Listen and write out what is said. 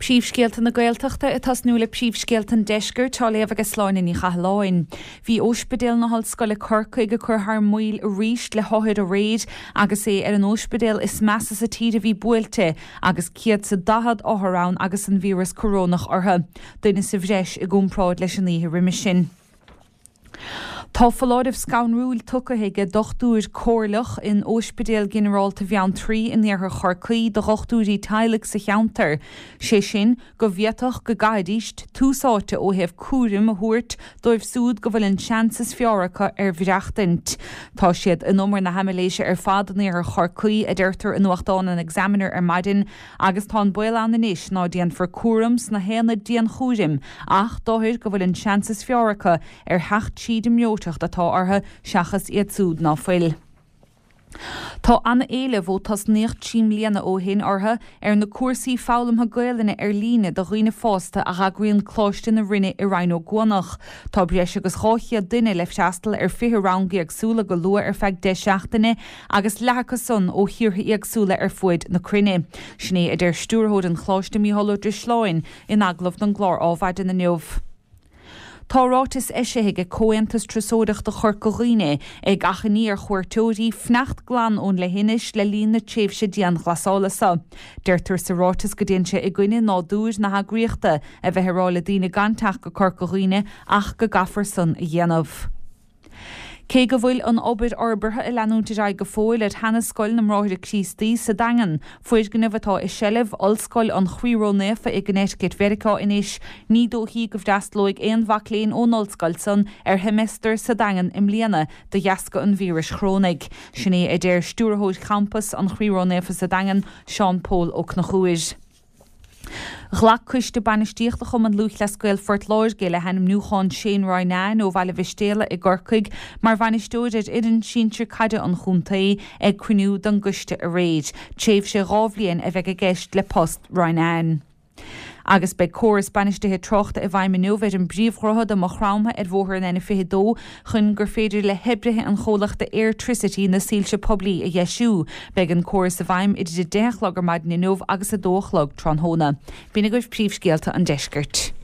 Príomhscéalta na Gaeltachta ag tosnú le príomhscéalta an Deiscirt á léamh ag Sláine Ní Chathalláin. Bhí Óispidéal na hOllscoile Corcaigh ag cur thar maoil arís le hothair aréir agus é ar an óispidéal is measa sa tír a bhí buailte agus 140 othar ann agus an víreas corónach orthu, duine sa bhreis i gcomparáid leis an oíche roimhe sin. Tá foláireamh scanrúil tugtha ag dochtúir comhairleach in Óispidéal Ginearálta Bheanntraí in iarthar Chorcaí do dhochtúirí teaghlaigh sa cheantar, sé sin go bhféadfadh go gcaithfidís tús áite ó thaobh cúraim a thabhairt dóibh súd go bhfuil an seans is fearr acu ar mhaireachtaint. Tá siad in umar na haimiléise ar fad in iarthar Chorcaí, a deirtear i nuachtán an Examiner ar maidin, Agus tá an baol ann anois ná déanfar cúram sna haonaid dianchúraim ach d'othair go bhfuil an seans is fearr acu ar theacht tríd an mbreoiteacht atá orthu seachas iad súd ná fuil. Tá ana-éileamh ó tosnaíodh 3 mbliana ó shin orthu ar na cúrsaí foghlamtha Gaelainne ar líne do dhaoine fásta a dh'eagraíonn Coláiste na Rinne i Rinn Ó gCuanach. Tá breis agus 200 duine le freastal ar 20 rang éagsúla go luath ar feadh 10 seachtaine agus leath acu san ó thíortha éagsúla ar fuaid na cruinne. Sin é a deir Stiúrthóir an Choláiste Mícheál Ó Drisleáin in agallamh don gclár Ádhmhaidin inniu. Tá ráiteas eisithe ag Comhaontas Turasóireachta Chorca Dhuibhne ag achainí ar chuairteoirí fanacht glan ón leithinis le linn na tréimhse dianghlasála seo. Deirtear sa ráiteas go dtéann sé i gcoinne nádúir na heagraíochta a bheith ag rá le daoine gan teacht go Corca Dhuibhne ach go gcaithfear san a dhéanamh. Cé go bhfuil an obair fhorbartha ag leanúint ar aghaidh go fóill ar sheana-scoil na mBráithre Críostaí sa Daingean, foirgneamh atá i seilbh Ollscoil an Chroí Ró-Naofa i gConnecticut Mheiriceá anois, ní dóichí go bhfreastalóidh aon mhac léinn ón ollscoil san ar sheimeastar sa Daingean i mbliana de dheasca an víris chorónaigh. Sin é a deir Stiúrthóir Champas an Chroí Ró-Naofa sa Daingean, Seán Pól Ó Conchúir. Ghlac Coiste Bainistíochta Chumann Lúthchleas Gael Phort Láirge le hainmniúchán Shane Ronayne ó Bhaile Mhistéala i gCorcaigh mar bhainisteoir ar fhoireann sinsir caide an chontae ag cruinniú den gcoiste aréir. Tréimhse 2 bhliain a bheidh i gceist le post Ronayne. Agus beidh córas bainistithe tráchta i bhfeidhm inniu ar an bpríomhdhroichead i Maigh Chromtha ar bhóthar an N22 chun gur féidir le hoibrithe an chomhlachta Airtricity na soilse poiblí a dheisiú. Beidh an córas i bhfeidhm idir 10 a chlog ar maidin inniu agus 2 a chlog tráthnóna. B'in agaibh príomhscéalta an deiscirt.